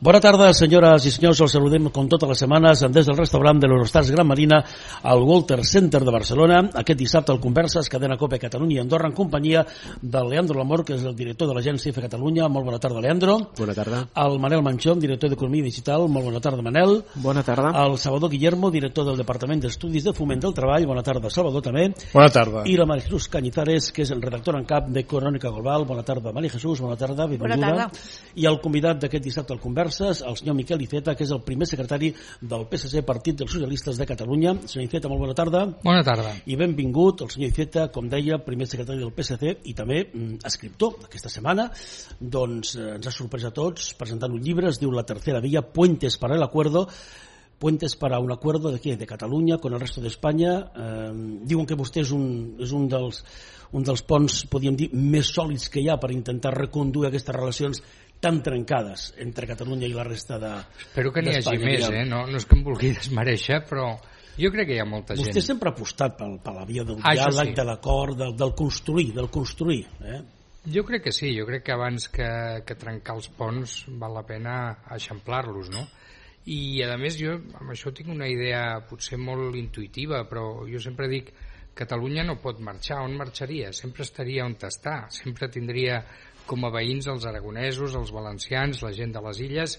Bona tarda, senyores i senyors. Els saludem com totes les setmanes des del restaurant de l'Eurostars Gran Marina al Walter Center de Barcelona. Aquest dissabte al Converses, cadena COPE Catalunya i Andorra, en companyia del Leandro Lamor, que és el director de l'agència IFE Catalunya. Molt bona tarda, Leandro. Bona tarda. El Manel Manchón, director d'Economia Digital. Molt bona tarda, Manel. Bona tarda. El Salvador Guillermo, director del Departament d'Estudis de Foment del Treball. Bona tarda, Salvador, també. Bona tarda. I la María Jesús Cañizares, que és el redactor en cap de Crónica Global. Bona tarda, María Jesús. Bona tarda, benvinguda. Bona tarda. I el convidat d'aquest dissabte al Converses, el senyor Miquel Iceta, que és el primer secretari del PSC, Partit dels Socialistes de Catalunya. Senyor Iceta, molt bona tarda. Bona tarda. I benvingut el senyor Iceta, com deia, primer secretari del PSC i també escriptor. Aquesta setmana doncs, ens ha sorprès a tots presentant un llibre, es diu La tercera vía, Puentes para el acuerdo. Puentes para un acuerdo de què? De Catalunya con el resto d'Espanya. Diuen que vostè és un dels ponts, podríem dir, més sòlids que hi ha per intentar reconduir aquestes relacions tan trencades entre Catalunya i la resta d'Espanya. Espero que n'hi hagi més, no és que em vulgui desmereixer, però jo crec que hi ha molta gent. Vostè sempre ha apostat per la via del diàleg, sí. de l'acord, del construir. Jo crec que sí, jo crec que abans que trencar els ponts val la pena eixamplar-los, no? I a més jo amb això tinc una idea potser molt intuïtiva, però jo sempre dic Catalunya no pot marxar. On marxaria? Sempre estaria on està, sempre tindria com a veïns els aragonesos, els valencians, la gent de les illes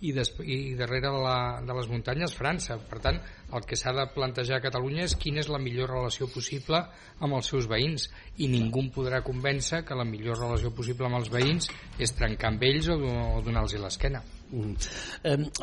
i darrere de les muntanyes França. Per tant, el que s'ha de plantejar a Catalunya és quina és la millor relació possible amb els seus veïns, i ningú em podrà convèncer que la millor relació possible amb els veïns és trencar amb ells o donar-los l'esquena.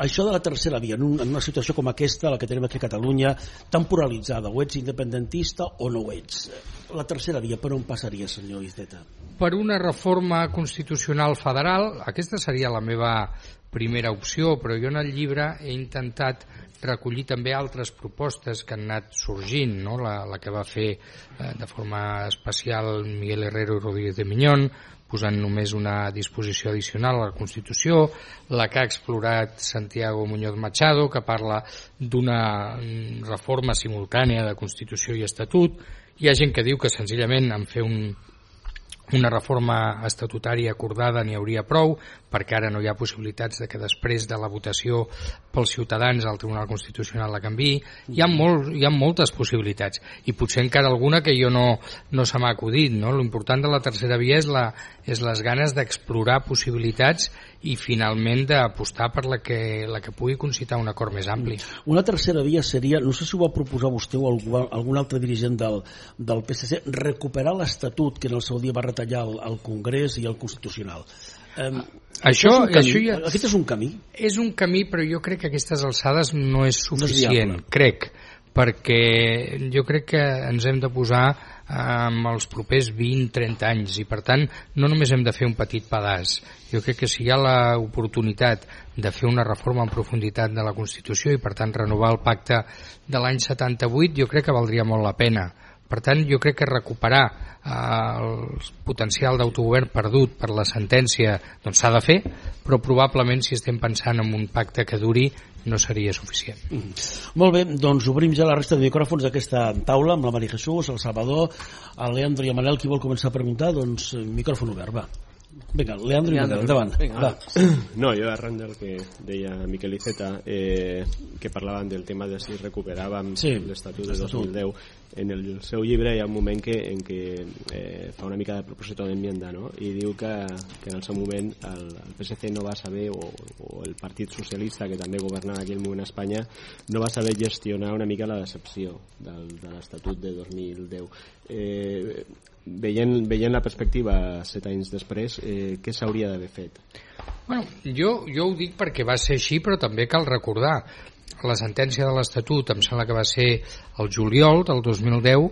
Això de la tercera via, en una situació com aquesta, la que tenim aquí a Catalunya, tan polaritzada, o ets independentista o no ho ets. La tercera via, per on passaria, senyor Iceta? Per una reforma constitucional federal. Aquesta seria la meva primera opció, però jo en el llibre he intentat recollir també altres propostes que han anat sorgint, no? La que va fer de forma especial Miguel Herrero i Rodríguez de Miñón, posant només una disposició addicional a la Constitució, la que ha explorat Santiago Muñoz Machado, que parla d'una reforma simultània de Constitució i Estatut. Hi ha gent que diu que senzillament en fer una reforma estatutària acordada n'hi hauria prou, perquè ara no hi ha possibilitats de que després de la votació pels ciutadans el Tribunal Constitucional la canviï. Hi ha moltes possibilitats, i potser encara alguna que jo no se m'ha acudit, no? L'important de la tercera via és les ganes d'explorar possibilitats i finalment d'apostar per la que pugui concitar un acord més ampli. Una tercera via seria, no sé si ho va proposar vostè o algun altre dirigent del PSC, recuperar l'Estatut que en el seu dia va retallar el Congrés i el Constitucional. Aquest és un camí? És un camí, però jo crec que a aquestes alçades no és suficient, perquè jo crec que ens hem de posar en els propers 20-30 anys, i per tant no només hem de fer un petit pedaç. Jo crec que si hi ha l'oportunitat de fer una reforma en profunditat de la Constitució i per tant renovar el pacte de l'any 78, jo crec que valdria molt la pena. Per tant, jo crec que recuperar el potencial d'autogovern perdut per la sentència doncs s'ha de fer, però probablement si estem pensant en un pacte que duri no seria suficient. Molt bé, doncs obrim ja la resta de micròfons d'aquesta taula amb la María Jesús, el Salvador, el Leandro i el Manel. Qui vol començar a preguntar? Doncs micròfon obert, va. Vinga, Leandro i Manel, endavant. No, jo arran del que deia Miquel Iceta, que parlaven del tema de si recuperàvem l'Estatut de 2010, en el seu llibre hi ha un moment en què fa una mica de propòsit d'enmienda, no? I diu que en el seu moment el PSC no va saber, o el Partit Socialista, que també governava en aquell moment a Espanya, no va saber gestionar una mica la decepció de l'Estatut de 2010. Veient la perspectiva 7 anys després, què s'hauria d'haver fet? Bueno, jo ho dic perquè va ser així, però també cal recordar la sentència de l'Estatut, em sembla que va ser el juliol del 2010,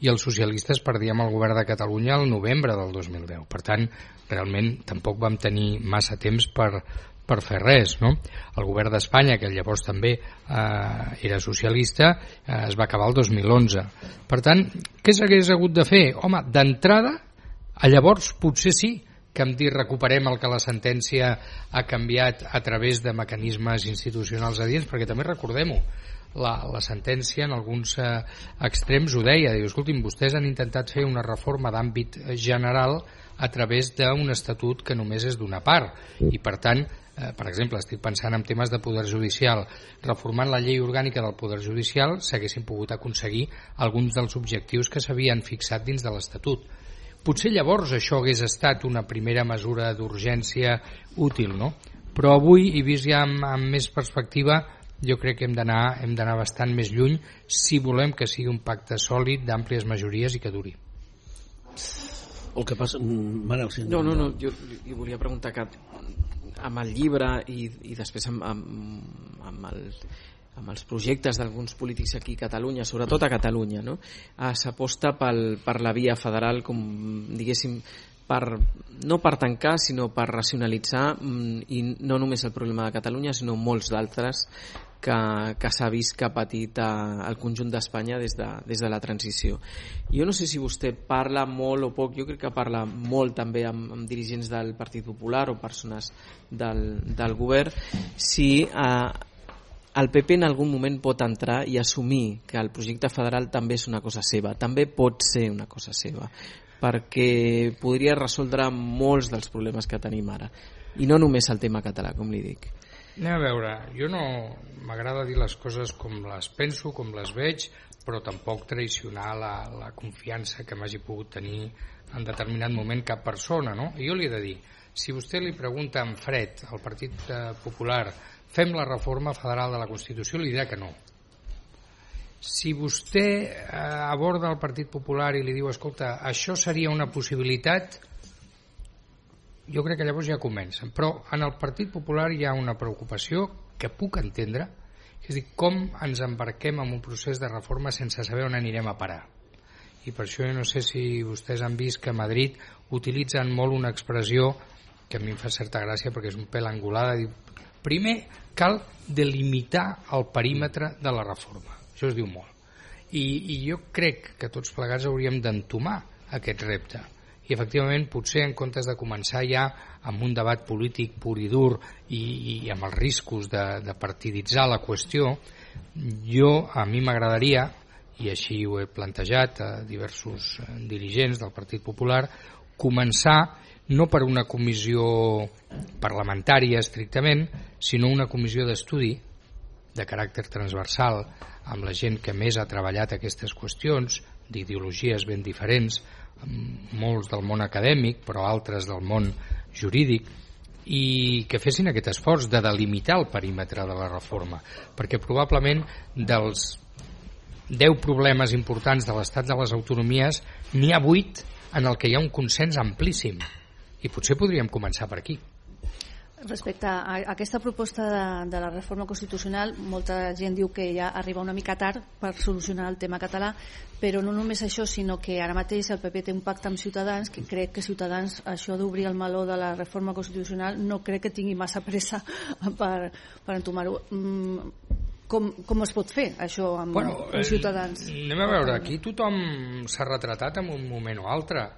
i els socialistes perdíem el govern de Catalunya el novembre del 2010. Per tant, realment tampoc vam tenir massa temps per fer res, no? El govern d'Espanya, que llavors també era socialista, es va acabar el 2011. Per tant, què s'hagués hagut de fer? Home, d'entrada, llavors potser sí que em dir recuperem el que la sentència ha canviat a través de mecanismes institucionals adients, perquè també recordem-ho, la sentència en alguns extrems ho deia, diu, escoltin, vostès han intentat fer una reforma d'àmbit general a través d'un estatut que només és d'una part, i per tant per exemple, estic pensant en temes de poder judicial, reformant la llei orgànica del poder judicial s'haguessin pogut aconseguir alguns dels objectius que s'havien fixat dins de l'Estatut. Potser llavors això hagués estat una primera mesura d'urgència útil, no? Però avui, i vist ja amb més perspectiva, jo crec que hem d'anar bastant més lluny si volem que sigui un pacte sòlid d'àmplies majories i que duri. El que passa... Manel, sí, no, jo li volia preguntar que amb el llibre i després amb els projectes d'alguns polítics aquí a Catalunya, sobretot a Catalunya, no? S'aposta per la via federal, com diguéssim, no per tancar, sinó per racionalitzar, i no només el problema de Catalunya, sinó molts d'altres que s'ha vist que ha patit el conjunt d'Espanya des de la transició. Jo no sé si vostè parla molt o poc, jo crec que parla molt també amb dirigents del Partit Popular o persones del govern, si el PP en algun moment pot entrar i assumir que el projecte federal també és una cosa seva, també pot ser una cosa seva, perquè podria resoldre molts dels problemes que tenim ara, i no només el tema català, com li dic. Anem a veure, jo no m'agrada dir les coses com les penso, com les veig, però tampoc traicionar la confiança que m'hagi pogut tenir en determinat moment cap persona, no? I jo li he de dir, si vostè li pregunta en fred al Partit Popular, fem la reforma federal de la Constitució, li dirà que no. Si vostè aborda el Partit Popular i li diu, escolta, això seria una possibilitat, jo crec que llavors ja comencen. Però en el Partit Popular hi ha una preocupació que puc entendre, és a dir, com ens embarquem en un procés de reforma sense saber on anirem a parar. I per això jo no sé si vostès han vist que a Madrid utilitzen molt una expressió que a mi em fa certa gràcia perquè és un pèl angulada, diu, primer cal delimitar el perímetre de la reforma. Això es diu molt. I jo crec que tots plegats hauríem d'entomar aquest repte. I efectivament, potser en comptes de començar ja amb un debat polític pur i dur i amb els riscos de partiditzar la qüestió, a mi m'agradaria, i així ho he plantejat a diversos dirigents del Partit Popular, començar no per una comissió parlamentària estrictament, sinó una comissió d'estudi de caràcter transversal amb la gent que més ha treballat aquestes qüestions, d'ideologies ben diferents, molts del món acadèmic però altres del món jurídic, i que fessin aquest esforç de delimitar el perímetre de la reforma, perquè probablement dels 10 problemes importants de l'estat de les autonomies n'hi ha 8 en el que hi ha un consens amplíssim, i potser podríem començar per aquí. Respecte a aquesta proposta de la reforma constitucional, molta gent diu que ja arriba una mica tard per solucionar el tema català, però no només això, sinó que ara mateix el PP té un pacte amb Ciutadans, que crec que Ciutadans, això d'obrir el meló de la reforma constitucional, no crec que tingui massa pressa per entomar-ho. Com es pot fer això amb Ciutadans? Anem a veure, aquí tothom s'ha retratat en un moment o altre.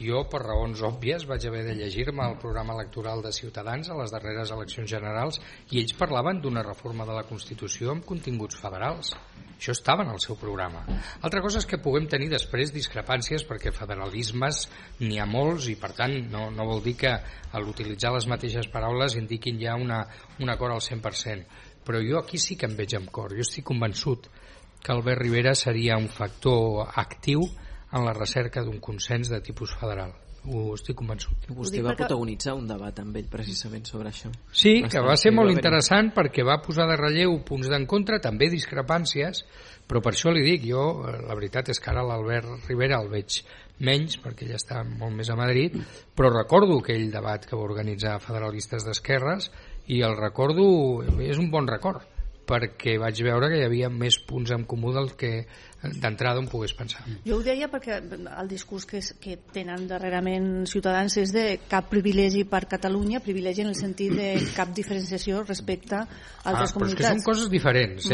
Jo, per raons òbvies, vaig haver de llegir-me el programa electoral de Ciutadans a les darreres eleccions generals i ells parlaven d'una reforma de la Constitució amb continguts federals. Això estava en el seu programa. Altra cosa és que puguem tenir després discrepàncies perquè federalismes n'hi ha molts i per tant no vol dir que a l'utilitzar les mateixes paraules indiquin ja un acord al 100%. Però jo aquí sí que em veig amb cor. Jo estic convençut que Albert Rivera seria un factor actiu en la recerca d'un consens de tipus federal. Ho estic convençut. Vostè va protagonitzar un debat amb ell precisament sobre això. Sí, que va ser molt interessant perquè va posar de relleu punts d'encontre, també discrepàncies, però per això li dic, jo la veritat és que ara l'Albert Rivera el veig menys perquè ell està molt més a Madrid, però recordo aquell debat que va organitzar Federalistes d'Esquerres i el recordo, és un bon record, perquè vaig veure que hi havia més punts en comú del que d'entrada on pogués pensar. Jo ho deia perquè el discurs que tenen darrerament Ciutadans és de cap privilegi per Catalunya, privilegi en el sentit de cap diferenciació respecte a altres comunitats. Però és que són coses diferents,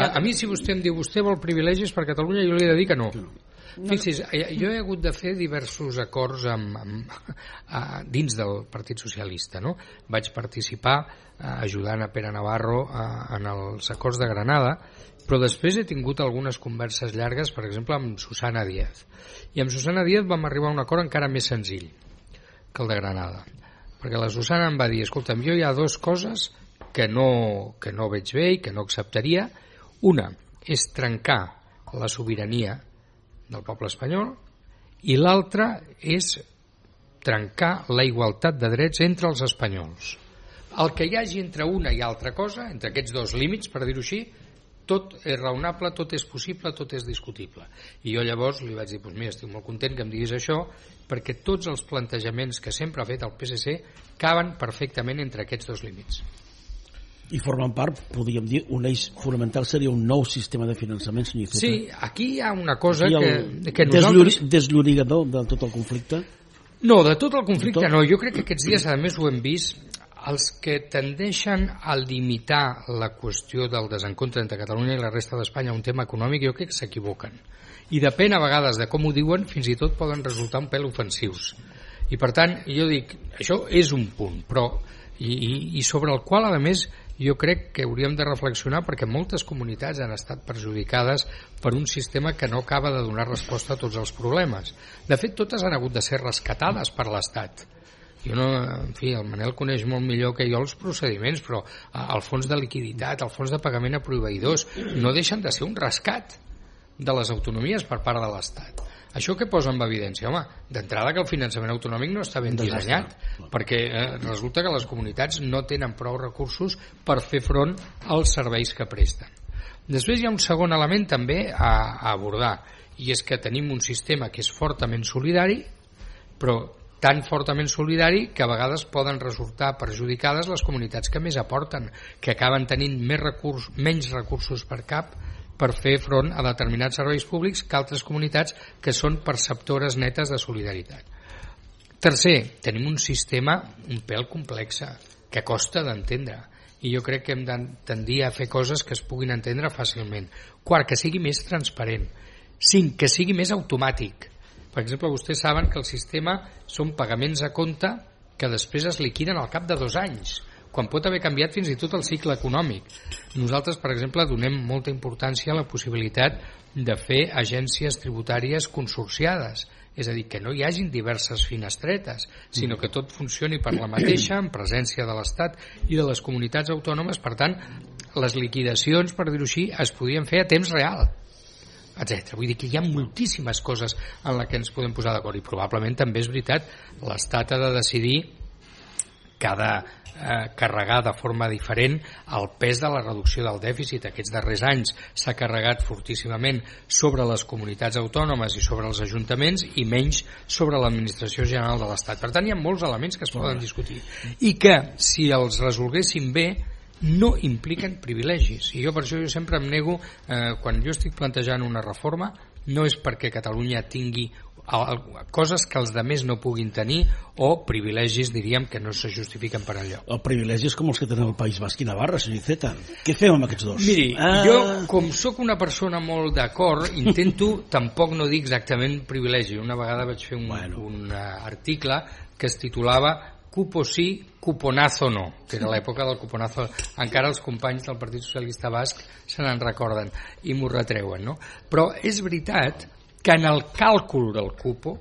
A mi si vostè em diu vostè vol privilegis per Catalunya, jo li he de dir que no. Fixi's, jo he hagut de fer diversos acords dins del Partit Socialista, no? Vaig participar ajudant a Pere Navarro en els acords de Granada, però després he tingut algunes converses llargues, per exemple amb Susana Díaz, i amb Susana Díaz vam arribar a un acord encara més senzill que el de Granada, perquè la Susana em va dir, escolta'm, jo hi ha dues coses que no veig bé i que no acceptaria. Una és trencar la sobirania del poble espanyol i l'altra és trencar la igualtat de drets entre els espanyols. El que hi hagi entre una i altra cosa, entre aquests dos límits, per dir-ho així, tot és raonable, tot és possible, tot és discutible. I jo llavors li vaig dir, doncs mira, estic molt content que em diguis això, perquè tots els plantejaments que sempre ha fet el PSC caben perfectament entre aquests dos límits. I formen part, podríem dir, un eix fonamental seria un nou sistema de finançament, senyor Iceta. Sí, aquí hi ha una cosa que nosaltres... Desllorigador de tot el conflicte? No, de tot el conflicte no. Jo crec que aquests dies, a més, ho hem vist. Els que tendeixen a limitar la qüestió del desencontre entre Catalunya i la resta d'Espanya a un tema econòmic, jo crec que s'equivoquen. I depèn a vegades de com ho diuen, fins i tot poden resultar un pèl ofensius. I per tant, jo dic, això és un punt, però i sobre el qual, a més, jo crec que hauríem de reflexionar, perquè moltes comunitats han estat perjudicades per un sistema que no acaba de donar resposta a tots els problemes. De fet, totes han hagut de ser rescatades per l'Estat. Jo no, en fi, el Manel coneix molt millor que jo els procediments, però el fons de liquiditat, el fons de pagament a proveïdors, no deixen de ser un rescat de les autonomies per part de l'Estat. Això què posa en evidència? Home, d'entrada que el finançament autonòmic no està ben dissenyat, perquè resulta que les comunitats no tenen prou recursos per fer front als serveis que presten. Després hi ha un segon element també a abordar, i és que tenim un sistema que és fortament solidari, però tan fortament solidari que a vegades poden resultar perjudicades les comunitats que més aporten, que acaben tenint menys recursos per cap per fer front a determinats serveis públics que altres comunitats que són perceptores netes de solidaritat. Tercer, tenim un sistema un pèl complex que costa d'entendre i jo crec que hem de tendir a fer coses que es puguin entendre fàcilment. Quart, que sigui més transparent. Cinc, que sigui més automàtic. Per exemple, vostès saben que el sistema són pagaments a compte que després es liquiden al cap de 2 anys, quan pot haver canviat fins i tot el cicle econòmic. Nosaltres, per exemple, donem molta importància a la possibilitat de fer agències tributàries consorciades, és a dir, que no hi hagin diverses finestretes, sinó que tot funcioni per la mateixa, en presència de l'Estat i de les comunitats autònomes. Per tant, les liquidacions, per dir-ho així, es podien fer a temps real, etc. Vull dir que hi ha moltíssimes coses en les que ens podem posar d'acord i probablement també és veritat, l'Estat ha de decidir que ha de carregar de forma diferent el pes de la reducció del dèficit. Aquests darrers anys s'ha carregat fortíssimament sobre les comunitats autònomes i sobre els ajuntaments i menys sobre l'administració general de l'Estat. Per tant, hi ha molts elements que es poden discutir i que, si els resolguéssim bé, no impliquen privilegis. I jo per això sempre em nego, quan jo estic plantejant una reforma, no és perquè Catalunya tingui coses que els altres no puguin tenir o privilegis, diríem, que no se justifiquen per enlloc. El privilegi és com els que tenen el País Basc i Navarra, senyor Iceta. Què fem amb aquests dos? Miri, jo, com sóc una persona molt d'acord, intento tampoc no dir exactament privilegi. Una vegada vaig fer un article que es titulava Cupo sí, cuponazo no, que era l'època del cuponazo. Encara els companys del Partit Socialista Basc se n'en recorden i m'ho retreuen, no? Però és veritat que en el càlcul del cupo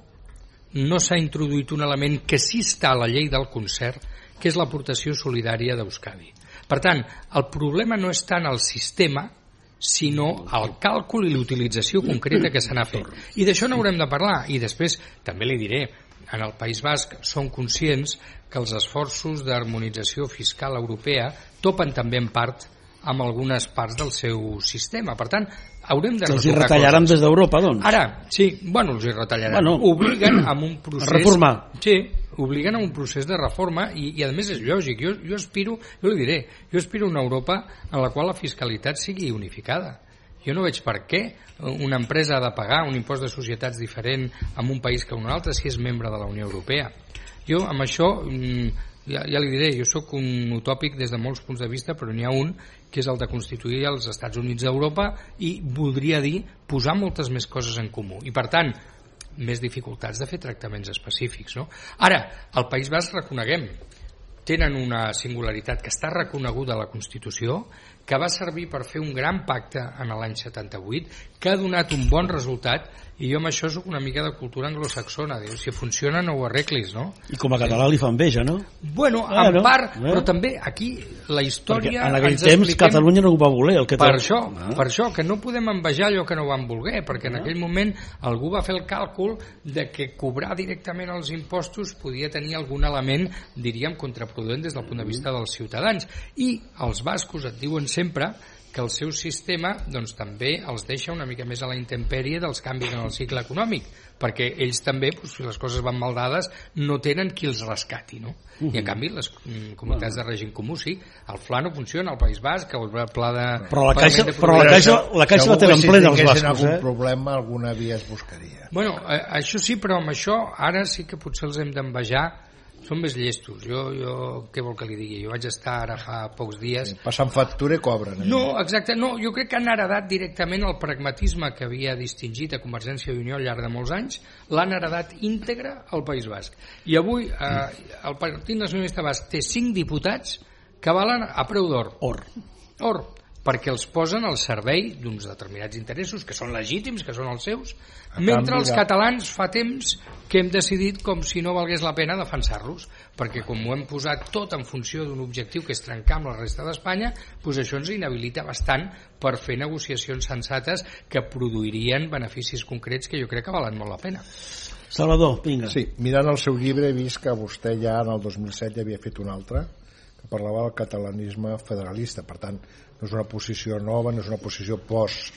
no s'ha introduït un element que sí està a la llei del concert, que és l'aportació solidària d'Euskadi. Per tant, el problema no és tant el sistema, sinó el càlcul i l'utilització concreta que se n'ha fet. I d'això n'haurem de parlar. I després, també li diré, en el País Basc som conscients que els esforços d'harmonització fiscal europea topen també en part amb algunes parts del seu sistema. Per tant, haurem de els hi retallaran des d'Europa, doncs? Ara, sí, els hi retallaran. Obliguen a un procés... A reformar. Sí, obliguen a un procés de reforma i a més és lògic. Jo aspiro, jo li diré, jo aspiro a una Europa en la qual la fiscalitat sigui unificada. Jo no veig per què una empresa ha de pagar un impost de societats diferent en un país que en un altre si és membre de la Unió Europea. Jo amb això, ja li diré, jo sóc un utòpic des de molts punts de vista, però n'hi ha un que és el de constituir els Estats Units d'Europa i voldria dir posar moltes més coses en comú. I per tant, més dificultats de fer tractaments específics, no? Ara, al País Basc reconeguem, tenen una singularitat que està reconeguda a la Constitució, que va servir per fer un gran pacte en l'any 78, que ha donat un bon resultat I jo amb això soc una mica de cultura anglosaxona, diu, si funciona no ho arreglis, no? I com a català li fa enveja, no? Bueno, en part, però també aquí la història... Perquè en aquell temps Catalunya no ho va voler. Per això, que no podem envejar allò que no van voler, perquè en aquell moment algú va fer el càlcul de que cobrar directament els impostos podia tenir algun element, diríem, contraproduent des del punt de vista dels ciutadans. I els bascos et diuen sempre que el seu sistema doncs, també els deixa una mica més a la intempèrie dels canvis en el cicle econòmic, perquè ells també, doncs, si les coses van mal dades, no tenen qui els rescati, no? I en canvi les comunitats de règim comú sí, el FLA no funciona, el País Basc, el pla de... Però la caixa la tenen plena els bascos, algun problema, alguna via es buscaria. Bueno, això sí, però amb això ara sí que potser els hem d'envejar. Són més llestos. Jo què vol que li digui? Jo vaig estar ara fa pocs dies... Passant factura i cobren. No, exacte. No, jo crec que han heredat directament el pragmatisme que havia distingit a Convergència i Unió al llarg de molts anys, l'han heredat íntegre al País Basc. I avui el Partit Nacionalista Basc té 5 diputats que valen a preu d'or. Or. Perquè els posen al servei d'uns determinats interessos que són legítims, que són els seus, mentre els catalans fa temps que hem decidit com si no valgués la pena defensar-los, perquè com ho hem posat tot en funció d'un objectiu que és trencar amb la resta d'Espanya, doncs això ens inhabilita bastant per fer negociacions sensates que produirien beneficis concrets que jo crec que valen molt la pena. Salvador, vinga. Sí, mirant el seu llibre he vist que vostè ja en el 2007 ja havia fet un altre que parlava del catalanisme federalista, per tant no és una posició nova, no és una posició post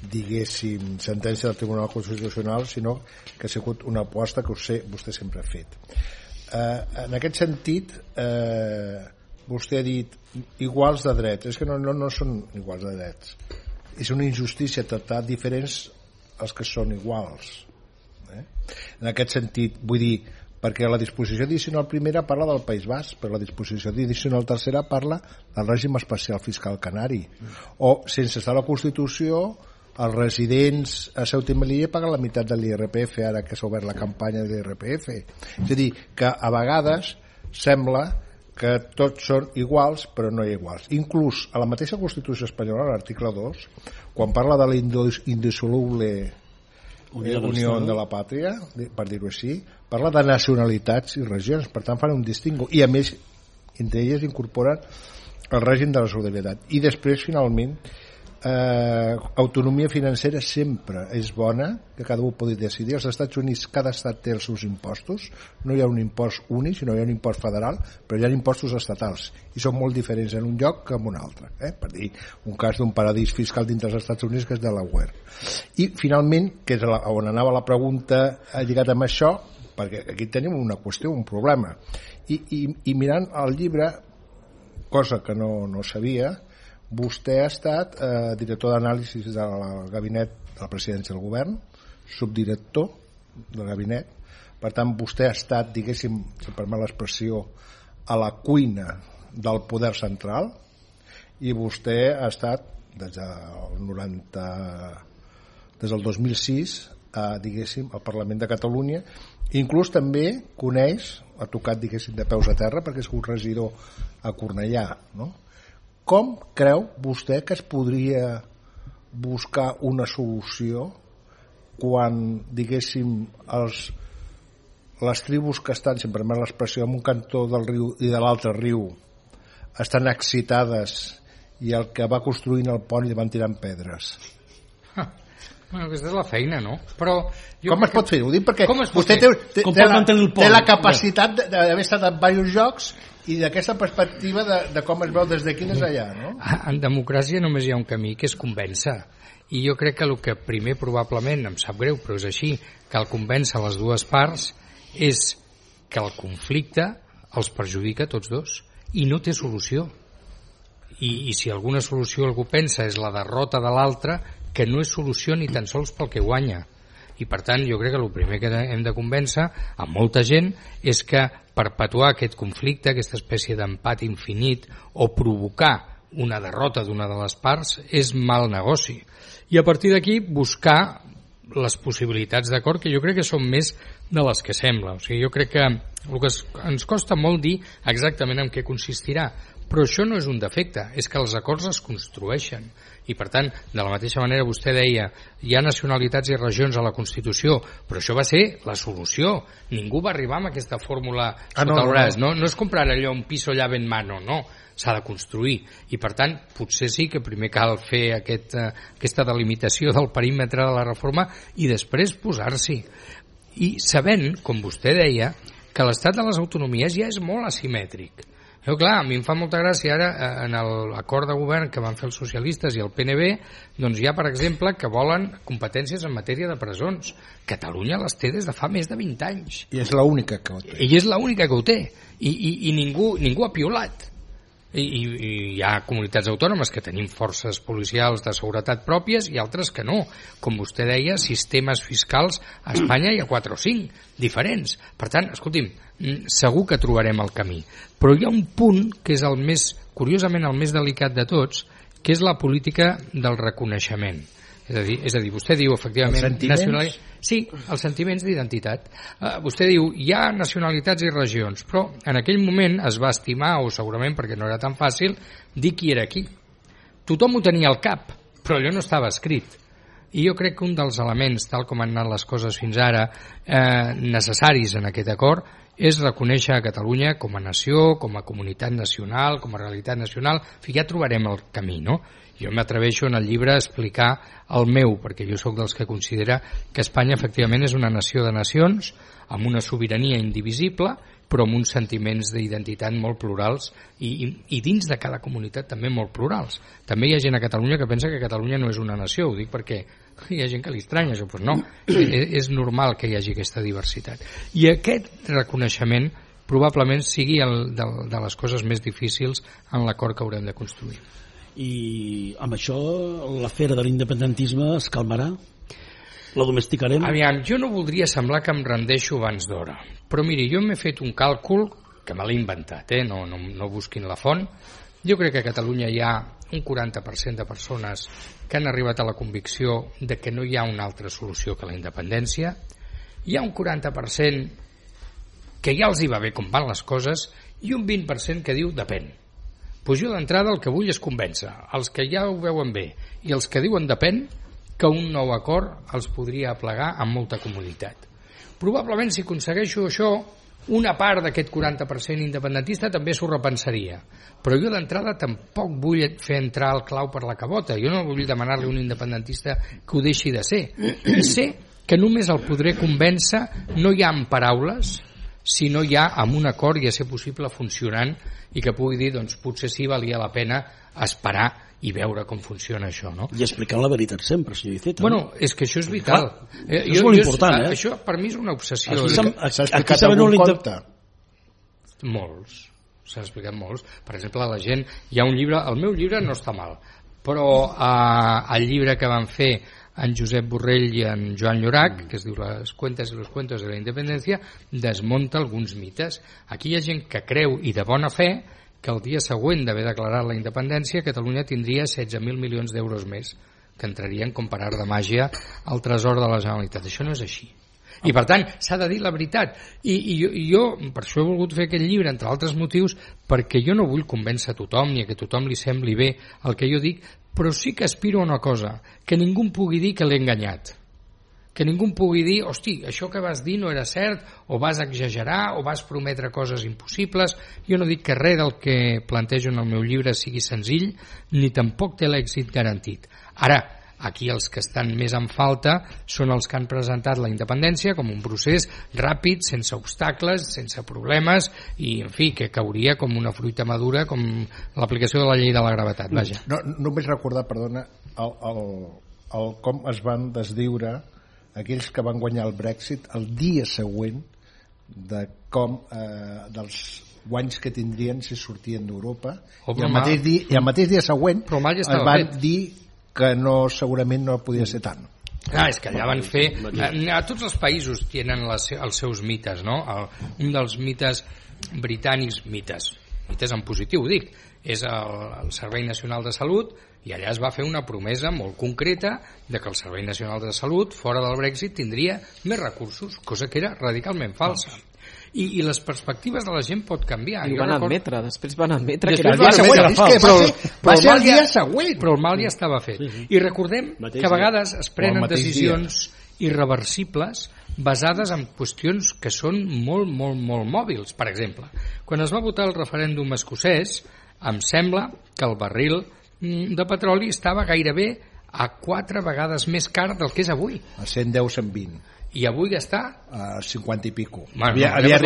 diguéssim sentència del Tribunal Constitucional, sinó que ha sigut una aposta que vostè sempre ha fet. En aquest sentit vostè ha dit iguals de drets, és que no són iguals de drets, és una injustícia tractar diferents els que són iguals. En aquest sentit vull dir, perquè la disposició addicional primera parla del País Basc, però la disposició addicional tercera parla del règim especial fiscal canari, o sense estar a la Constitució els residents a Ceuta i Melilla paguen la meitat de l'IRPF ara que s'ha obert la campanya de l'IRPF. És a dir, que a vegades sembla que tots són iguals però no iguals. Inclús a la mateixa Constitució espanyola, a l'article 2, quan parla de la indissoluble Unió de la Pàtria, per dir-ho així, parla de nacionalitats i regions, per tant fan un distingo, i a més entre elles incorporen el règim de la solidaritat. I després finalment autonomia financera sempre és bona, que cada un pugui decidir. Als Estats Units cada estat té els seus impostos, no hi ha un impost únic, sinó hi ha un impost federal, però hi ha impostos estatals i són molt diferents en un lloc que en un altre, per dir un cas d'un paradís fiscal dintre dels Estats Units que és Delaware. I finalment, que és on anava la pregunta lligat amb això, perquè aquí tenim una qüestió, un problema, i mirant el llibre, cosa que no sabia, vostè ha estat director d'anàlisis del gabinet de la presidència del govern, subdirector del gabinet, per tant vostè ha estat, diguéssim, si permet l'expressió, a la cuina del poder central, i vostè ha estat des del 2006 diguéssim al Parlament de Catalunya, inclús també coneix, ha tocat diguéssim de peus a terra perquè és un regidor a Cornellà, no? Com creu vostè que es podria buscar una solució quan, diguéssim, les tribus que estan, si em permet l'expressió, en un cantó del riu i de l'altre riu estan excitades i el que va construint el pont li van tirant pedres? Bueno, aquesta és la feina, no? Però com es pot fer? Ho dic perquè vostè té la capacitat d'haver estat en diversos jocs i d'aquesta perspectiva de com es veu des d'aquí des allà, no? En democràcia només hi ha un camí, que és convèncer. I jo crec que el que primer probablement, em sap greu, però és així, cal convèncer les dues parts, és que el conflicte els perjudica a tots dos i no té solució. I si alguna solució algú pensa és la derrota de l'altre, que no és solució ni tan sols pel que guanya. I per tant jo crec que el primer que hem de convèncer a molta gent és que perpetuar aquest conflicte, aquesta espècie d'empat infinit o provocar una derrota d'una de les parts és mal negoci. I a partir d'aquí buscar les possibilitats d'acord, que jo crec que són més de les que sembla. O sigui, jo crec que el que ens costa molt dir exactament en què consistirà, Però això no és un defecte, és que els acords es construeixen. I per tant, de la mateixa manera vostè deia, hi ha nacionalitats i regions a la Constitució, però això va ser la solució. Ningú va arribar amb aquesta fórmula sota el braç. No és comprar allò un piso llave en mano, no. S'ha de construir. I per tant, potser sí que primer cal fer aquesta delimitació del perímetre de la reforma i després posar-s'hi. I sabent, com vostè deia, que l'estat de les autonomies ja és molt asimètric. Però clar, a mi em fa molta gràcia ara en l'acord de govern que van fer els socialistes i el PNB, doncs hi ha, per exemple, que volen competències en matèria de presons. Catalunya les té des de fa més de 20 anys. I és l'única que ho té. I és l'única que ho té. I ningú ha piolat. I hi ha comunitats autònomes que tenim forces policials de seguretat pròpies i altres que no. Com vostè deia, sistemes fiscals a Espanya hi ha 4 o 5 diferents. Per tant, escolti'm, segur que trobarem el camí. Però hi ha un punt que és curiosament el més delicat de tots, que és la política del reconeixement. És a dir, vostè diu, efectivament... Els sentiments? Sí, els sentiments d'identitat. Vostè diu, hi ha nacionalitats i regions, però en aquell moment es va estimar, o segurament perquè no era tan fàcil, dir qui era qui. Tothom ho tenia al cap, però allò no estava escrit. I jo crec que un dels elements, tal com han anat les coses fins ara, necessaris en aquest acord, és reconèixer a Catalunya com a nació, com a comunitat nacional, com a realitat nacional. En fi, ja trobarem el camí, no? Jo m'atreveixo en el llibre a explicar el meu, perquè jo sóc dels que considera que Espanya efectivament és una nació de nacions, amb una sobirania indivisible, però amb uns sentiments d'identitat molt plurals i dins de cada comunitat també molt plurals. També hi ha gent a Catalunya que pensa que Catalunya no és una nació, ho dic perquè hi ha gent que li estranya això, però no, és normal que hi hagi aquesta diversitat. I aquest reconeixement probablement sigui de les coses més difícils en l'acord que haurem de construir. I amb això l'afera de l'independentisme es calmarà? La domesticarem? Aviam, jo no voldria semblar que em rendeixo abans d'hora, però miri, jo m'he fet un càlcul que me l'he inventat, no busquin la font. Jo crec que a Catalunya hi ha un 40% de persones que han arribat a la convicció de que no hi ha una altra solució que la independència. Hi ha un 40% que ja els hi va bé com van les coses i un 20% que diu depèn. Pues jo d'entrada el que vull és convèncer els que ja ho veuen bé i els que diuen depèn que un nou acord els podria aplegar amb molta comoditat. Probablement si aconsegueixo això, una part d'aquest 40% independentista també s'ho repensaria, però jo d'entrada tampoc vull fer entrar el clau per la cabota. Jo no vull demanar-li a un independentista que ho deixi de ser. I sé que només el podré convèncer no ja amb paraules, sinó ja amb un acord i a ser possible funcionant i que pugui dir, doncs potser sí valia la pena esperar i veure com funciona això, no? I explicant la veritat sempre, senyor Iceta. Bueno, és que això és vital. És molt important, Això per mi és una obsessió. S'ha explicat algun conte? Molts. S'han explicat molts. Per exemple, la gent... Hi ha un llibre... El meu llibre no està mal, però el llibre que van fer en Josep Borrell i en Joan Llorac, que es diu Les cuentas y los cuentos de la independencia, desmunta alguns mites. Aquí hi ha gent que creu, i de bona fe, que el dia següent d'haver declarat la independència Catalunya tindria 16.000 milions d'euros més, que entrarien com per art de màgia al tresor de la Generalitat. Això no és així. I per tant s'ha de dir la veritat. I jo per això he volgut fer aquest llibre, entre altres motius, perquè jo no vull convèncer a tothom ni a que tothom li sembli bé el que jo dic, però sí que aspiro a una cosa, que ningú em pugui dir que l'he enganyat, que ningú em pugui dir, hosti, això que vas dir no era cert, o vas exagerar, o vas prometre coses impossibles. Jo no dic que res del que plantejo en el meu llibre sigui senzill, ni tampoc té l'èxit garantit. Ara, aquí els que estan més en falta són els que han presentat la independència com un procés ràpid, sense obstacles, sense problemes, i, en fi, que cauria com una fruita madura, com l'aplicació de la llei de la gravetat. Vaja. No, només recordar, perdona, el com es van desdiure aquells que van guanyar el Brexit el dia següent de com dels guanys que tindrien si sortien d'Europa, i el mateix dia següent es van dir que no, segurament no podia ser tant. És que allà van fer... A tots els països tenen els seus mites, no? Un dels mites britànics, mites en positiu, dic, és el Servei Nacional de Salut, i allà es va fer una promesa molt concreta de que el Servei Nacional de Salut, fora del Brexit, tindria més recursos, cosa que era radicalment falsa. I les perspectives de la gent pot canviar. I ho van admetre, després van admetre que era el dia següent. Va ser el dia següent, però el mal ja estava fet. I recordem que a vegades es prenen decisions irreversibles basades en qüestions que són molt, molt, molt mòbils. Per exemple, quan es va votar el referèndum escocès, em sembla que el barril de petroli estava gairebé a 4 vegades més car del que és avui. A 110, 120. I avui està? A 50 i pico. Bueno, havia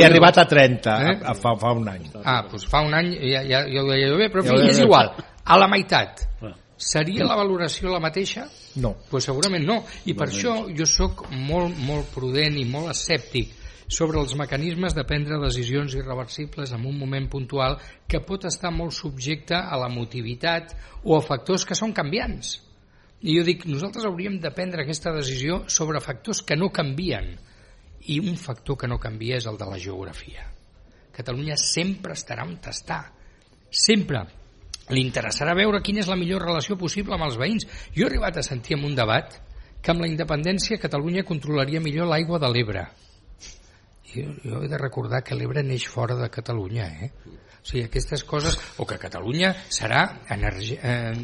arribat a 30 fa un any. Doncs fa un any ja ho deia bé, però és igual. A la meitat. Seria la valoració la mateixa? No. Pues segurament no. I per això jo sóc molt, molt prudent i molt escèptic sobre els mecanismes de prendre decisions irreversibles en un moment puntual que pot estar molt subjecte a l'emotivitat o a factors que són canviants. I jo dic, nosaltres hauríem de prendre aquesta decisió sobre factors que no canvien. I un factor que no canvia és el de la geografia. Catalunya sempre estarà on està. Sempre. Li interessarà veure quina és la millor relació possible amb els veïns. Jo he arribat a sentir en un debat que amb la independència Catalunya controlaria millor l'aigua de l'Ebre. Jo he de recordar que l'Ebre neix fora de Catalunya, O sigui, aquestes coses, o que Catalunya serà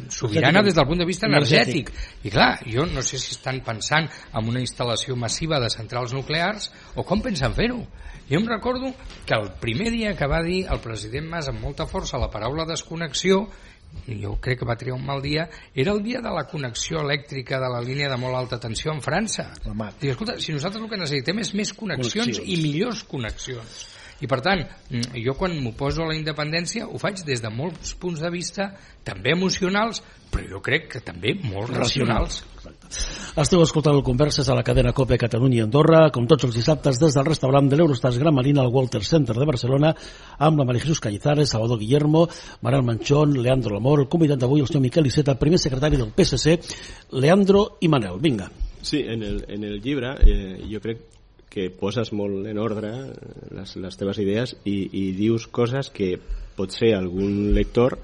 sobirana des del punt de vista energètic. I clar, jo no sé si estan pensant en una instal·lació massiva de centrals nuclears o com pensen fer-ho. Jo em recordo que el primer dia que va dir el president Mas amb molta força la paraula desconnexió, jo crec que va triar un mal dia, era el dia de la connexió elèctrica de la línia de molt alta tensió en França. Dic, escolta, si nosaltres el que necessitem és més connexions i millors connexions. I per tant, jo quan m'oposo a la independència ho faig des de molts punts de vista, també emocionals, però jo crec que també molt racionals. Esteu escoltant el Converses a la cadena COPE Catalunya i Andorra, com tots els dissabtes des del restaurant de l'Eurostars Gran Marina al Walter Center de Barcelona, amb la María Jesús Cañizares, Salvador Guillermo, Manel Manchón, Leandro Lamor, el convidat d'avui, el senyor Miquel Iceta, el primer secretari del PSC, Leandro i Manel. Vinga. Sí, en el llibre jo crec que poses molt en ordre les teves idees i dius coses que potser algun lector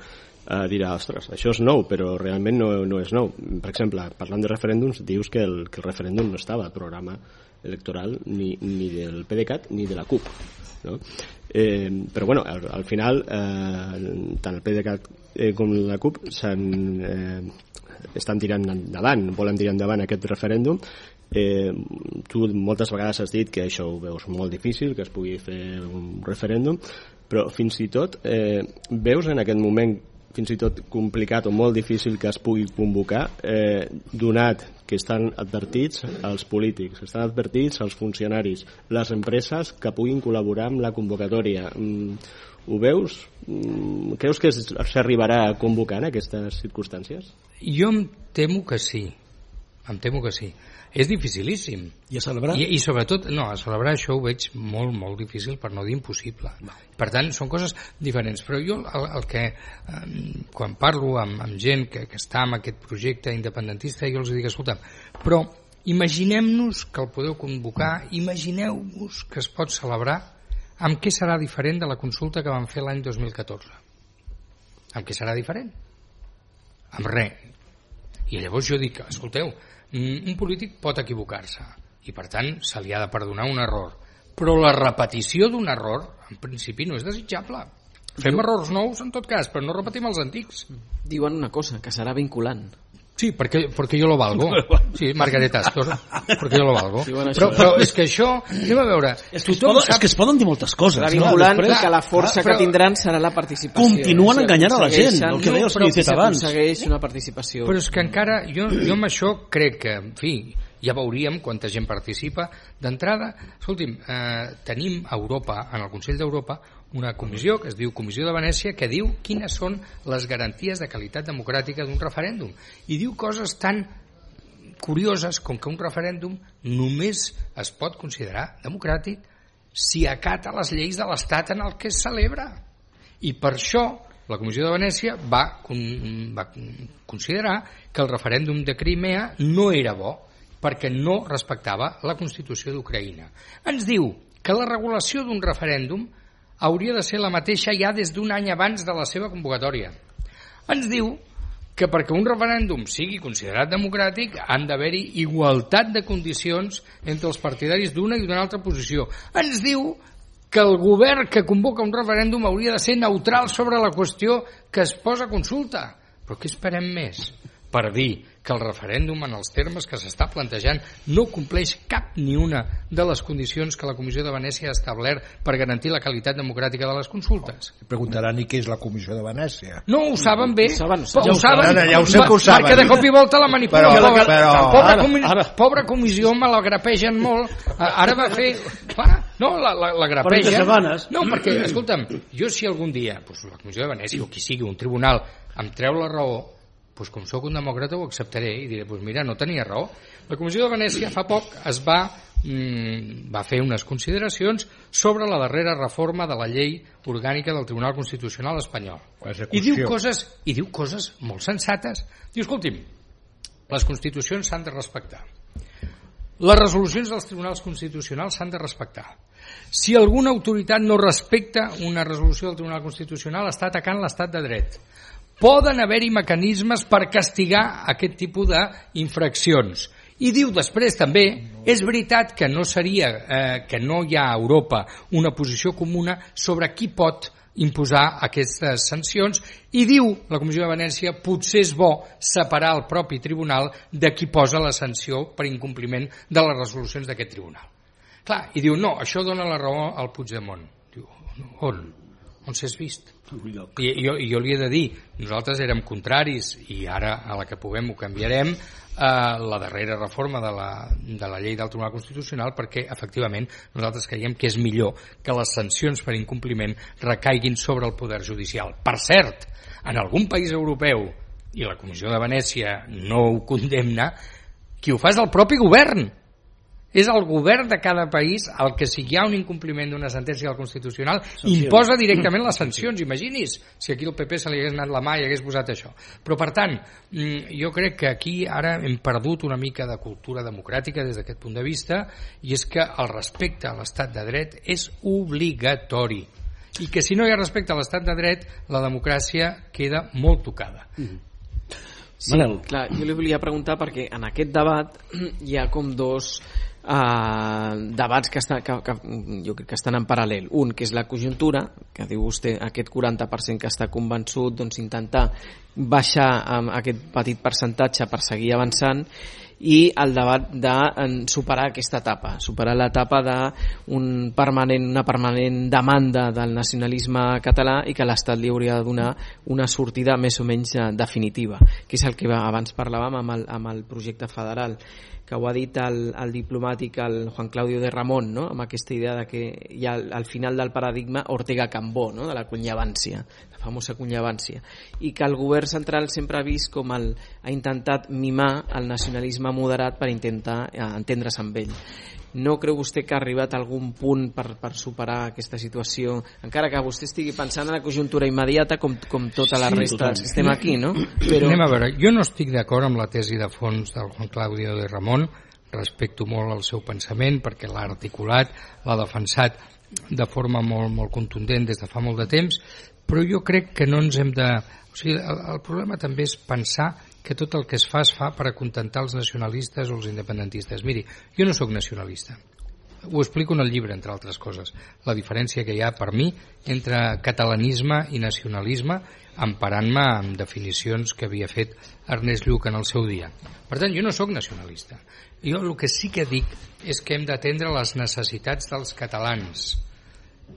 dirà, ostres, això és nou, però realment no és nou. Per exemple, parlant de referèndums, dius que el referèndum no estava al programa electoral ni del PDeCAT ni de la CUP, no? Però bueno, al final tant el PDeCAT com la CUP estan tirant endavant, volen tirar endavant aquest referèndum. Tu moltes vegades has dit que això ho veus molt difícil, que es pugui fer un referèndum, però fins i tot veus en aquest moment fins i tot complicat o molt difícil que es pugui convocar, donat que estan advertits els polítics, estan advertits els funcionaris, les empreses que puguin col·laborar amb la convocatòria. Ho veus? Creus que s'arribarà a convocar en aquestes circumstàncies? Jo em temo que sí. Em temo que sí. És dificilíssim. I a celebrar? I sobretot, no, a celebrar això ho veig molt, molt difícil, per no dir impossible. Per tant, són coses diferents. Però jo el que, quan parlo amb gent que està en aquest projecte independentista, jo els dic, escolta, però imaginem-nos que el podeu convocar, imagineu-vos que es pot celebrar, amb què serà diferent de la consulta que vam fer l'any 2014? Amb què serà diferent? Amb res. I llavors jo dic, escolteu, un polític pot equivocar-se i per tant se li ha de perdonar un error, però la repetició d'un error en principi no és desitjable. Fem errors nous en tot cas, però no repetim els antics. Diuen una cosa, que serà vinculant. Sí, porque yo lo valgo. Sí, Margaret Astor, porque yo lo valgo. Però és que això, anem a veure... És que es poden dir moltes coses. Serà vinculant i que la força que tindran serà la participació. Continuen enganyant a la gent, el que deia el senyor Iceta abans. S'aconsegueix una participació. Però és que encara, jo amb això crec que, en fi, ja veuríem quanta gent participa. D'entrada, escolti'm, tenim a Europa, en el Consell d'Europa, una comissió que es diu Comissió de Venècia, que diu quines són les garanties de qualitat democràtica d'un referèndum, i diu coses tan curioses com que un referèndum només es pot considerar democràtic si acata les lleis de l'estat en el que es celebra. I per això la Comissió de Venècia va considerar que el referèndum de Crimea no era bo perquè no respectava la Constitució d'Ucraïna. Ens diu que la regulació d'un referèndum hauria de ser la mateixa ja des d'un any abans de la seva convocatòria. Ens diu que perquè un referèndum sigui considerat democràtic han d'haver-hi igualtat de condicions entre els partidaris d'una i d'una altra posició. Ens diu que el govern que convoca un referèndum hauria de ser neutral sobre la qüestió que es posa a consulta. Però què esperem més per dir que el referèndum en els termes que s'està plantejant no compleix cap ni una de les condicions que la Comissió de Venècia ha establert per garantir la qualitat democràtica de les consultes? Preguntaran i què és la Comissió de Venècia. No, ho saben bé. Ja ho saben. Perquè de cop i volta la manipulen. Però... Pobra comissió, me la grapegen molt. Ara va fer... No, la grapegen. No, perquè, escolta'm, jo si algun dia la Comissió de Venècia o qui sigui, un tribunal, em treu la raó, doncs com sóc un demòcrata ho acceptaré i diré, doncs mira, no tenia raó. La Comissió de Venècia fa poc va fer unes consideracions sobre la darrera reforma de la llei orgànica del Tribunal Constitucional espanyol. I diu coses molt sensates. Diu, escolti'm, les constitucions s'han de respectar. Les resolucions dels tribunals constitucionals s'han de respectar. Si alguna autoritat no respecta una resolució del Tribunal Constitucional està atacant l'estat de dret. Poden haver-hi mecanismes per castigar aquest tipus d'infraccions. I diu després també, és veritat que no hi ha a Europa una posició comuna sobre qui pot imposar aquestes sancions i diu la Comissió de Venècia potser és bo separar el propi tribunal de qui posa la sanció per incompliment de les resolucions d'aquest tribunal. Clar, i diu, no, això dona la raó al Puigdemont. Diu, on s'has vist? I jo li he de dir, nosaltres érem contraris i ara a la que puguem ho canviarem la darrera reforma de la llei del Tribunal Constitucional perquè efectivament nosaltres creiem que és millor que les sancions per incompliment recaiguin sobre el poder judicial. Per cert, en algun país europeu, i la Comissió de Venècia no ho condemna, qui ho fa és el propi govern. És el govern de cada país el que, si hi ha un incompliment d'una sentència del Constitucional, imposa directament les sancions. Imagini's si aquí al PP se li hagués anat la mà i hagués posat això. Però, per tant, jo crec que aquí ara hem perdut una mica de cultura democràtica des d'aquest punt de vista, i és que el respecte a l'estat de dret és obligatori. I que si no hi ha respecte a l'estat de dret, la democràcia queda molt tocada. Sí, clar, jo li volia preguntar perquè en aquest debat hi ha com dos debats que jo crec que estan en paral·lel. Un, que és la conjuntura, que diu vostè, aquest 40% que està convençut, doncs intentar baixar aquest petit percentatge per seguir avançant, i el debat de superar aquesta etapa, superar l'etapa d'una permanent demanda del nacionalisme català i que l'Estat li hauria de donar una sortida més o menys definitiva, que és el que abans parlàvem amb el projecte federal, que ho ha dit el diplomàtic el Juan Claudio de Ramón, no? Amb aquesta idea de que hi ha al final del paradigma Ortega-Cambó, no? De la cunyavància, la famosa cunyavància, i que el govern central sempre ha vist com ha intentat mimar el nacionalisme moderat per intentar entendre's amb ell. No creu vostè que ha arribat a algun punt per superar aquesta situació, encara que vostè estigui pensant en la conjuntura immediata com tota la resta dels que estem aquí, no? Però... Anem a veure, jo no estic d'acord amb la tesi de fons del Juan Claudio de Ramón, respecto molt el seu pensament perquè l'ha articulat, l'ha defensat de forma molt, molt contundent des de fa molt de temps, però jo crec que no ens hem de... O sigui, el problema també és pensar que tot el que es fa per acontentar els nacionalistes o els independentistes. Miri, jo no sóc nacionalista. Ho explico en el llibre, entre altres coses. La diferència que hi ha per mi entre catalanisme i nacionalisme, emparant-me en definicions que havia fet Ernest Lluch en el seu dia. Per tant, jo no sóc nacionalista. Jo el que sí que dic és que hem d'atendre les necessitats dels catalans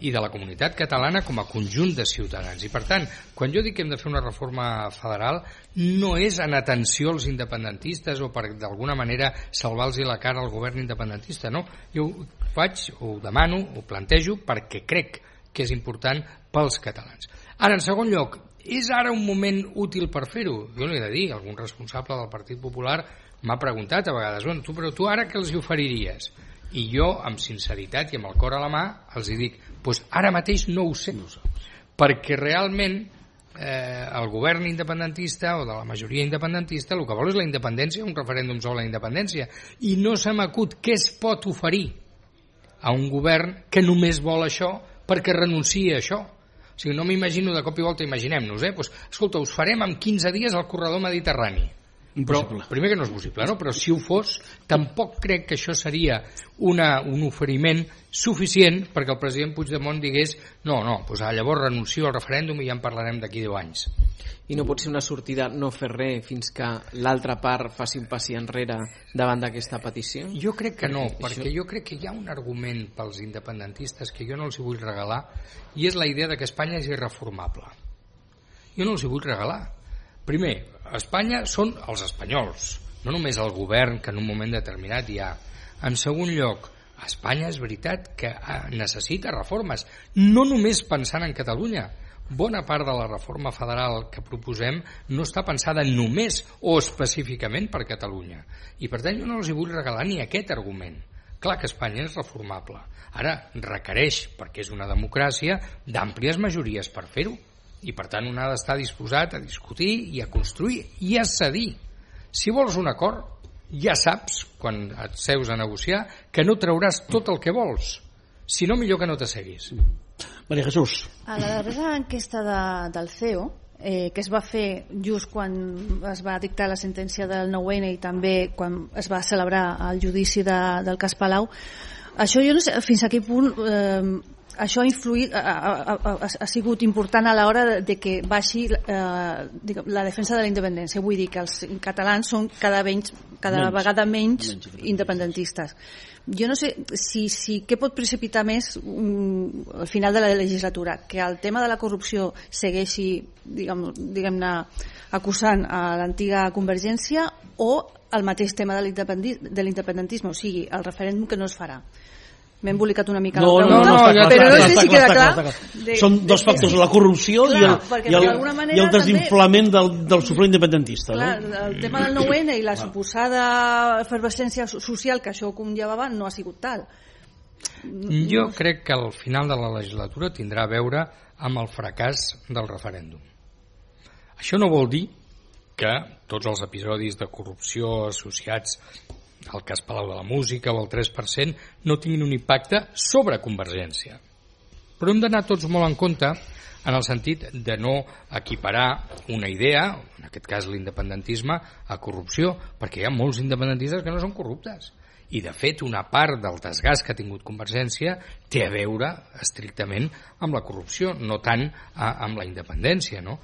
i de la comunitat catalana com a conjunt de ciutadans. I per tant, quan jo dic que hem de fer una reforma federal, no és en atenció als independentistes o per d'alguna manera salvar-los la cara al govern independentista, no. Jo ho faig, ho demano, ho plantejo perquè crec que és important pels catalans. Ara, en segon lloc, és ara un moment útil per fer-ho? Jo li he de dir, algun responsable del Partit Popular m'ha preguntat a vegades, però tu ara què els hi oferiries? I jo, amb sinceritat i amb el cor a la mà, els dic, doncs ara mateix no ho sé, perquè realment el govern independentista o de la majoria independentista el que vol és la independència, un referèndum sobre la independència, i no se m'acut què es pot oferir a un govern que només vol això perquè renuncia a això. O sigui, no m'imagino de cop i volta, imaginem-nos, doncs, escolta, us farem en 15 dies el corredor mediterrani. Però, primer que no és possible, no? Però si ho fos, tampoc crec que això seria un oferiment suficient perquè el president Puigdemont digués no, doncs llavors renuncio al referèndum i ja en parlarem d'aquí 10 anys. I no pot ser una sortida no fer res fins que l'altra part faci un passi enrere davant d'aquesta petició? Jo crec que no, perquè jo crec que hi ha un argument pels independentistes que jo no els hi vull regalar, i és la idea de que Espanya és irreformable. Jo no els hi vull regalar. Primer, Espanya són els espanyols, no només el govern que en un moment determinat hi ha. En segon lloc, Espanya és veritat que necessita reformes, no només pensant en Catalunya. Bona part de la reforma federal que proposem no està pensada només o específicament per Catalunya. I per tant jo no els hi vull regalar ni aquest argument. Clar que Espanya és reformable. Ara requereix, perquè és una democràcia, d'àmplies majories per fer-ho. I per tant un ha d'estar disposat a discutir i a construir i a cedir. Si vols un acord, ja saps, quan et seus a negociar, que no trauràs tot el que vols. Si no, millor que no t'asseguis. Maria Jesús. A la darrera enquesta del CEO, que es va fer just quan es va dictar la sentència del 9-N i també quan es va celebrar el judici del cas Palau, això jo no sé fins a quin punt això ha influït, ha sigut important a l'hora de que baixi la defensa de la independència. Vull dir que els catalans són cada vegada menys independentistes. Jo no sé què pot precipitar més al final de la legislatura, que el tema de la corrupció segueixi diguem-ne acusant a l'antiga Convergència, o el mateix tema de l'independentisme, o sigui, el referèndum que no es farà. M'he embolicat una mica la pregunta, però no sé si queda clar. Són dos factors, la corrupció i el desinflament del sufragi independentista. El tema del 9-N i la suposada efervescència social que això conllevava no ha sigut tal. Jo crec que al final de la legislatura tindrà a veure amb el fracàs del referèndum. Això no vol dir que tots els episodis de corrupció associats el cas Palau de la Música o el 3% no tinguin un impacte sobre Convergència. Però hem d'anar tots molt en compte en el sentit de no equiparar una idea, en aquest cas l'independentisme, a corrupció, perquè hi ha molts independentistes que no són corruptes. I de fet una part del desgast que ha tingut Convergència té a veure estrictament amb la corrupció, no tant amb la independència, no?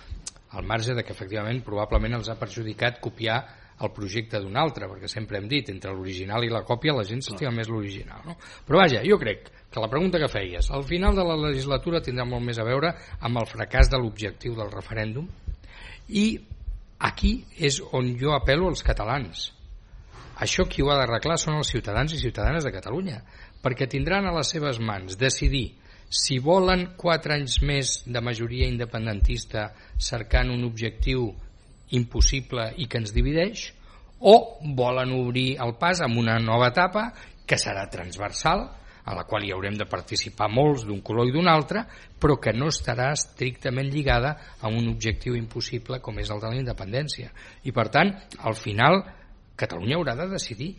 Al marge de que efectivament probablement els ha perjudicat copiar el projecte d'un altre, perquè sempre hem dit entre l'original i la còpia la gent s'estima més l'original, no? Però vaja, jo crec que la pregunta que feies al final de la legislatura tindrà molt més a veure amb el fracàs de l'objectiu del referèndum, i aquí és on jo apel·lo als catalans. Això qui ho ha d'arreglar són els ciutadans i ciutadanes de Catalunya, perquè tindran a les seves mans decidir si volen 4 anys més de majoria independentista cercant un objectiu impossible i que ens divideix, o volen obrir el pas amb una nova etapa que serà transversal, a la qual hi haurem de participar molts d'un color i d'un altre, però que no estarà estrictament lligada a un objectiu impossible com és el de la independència. I per tant, al final Catalunya haurà de decidir.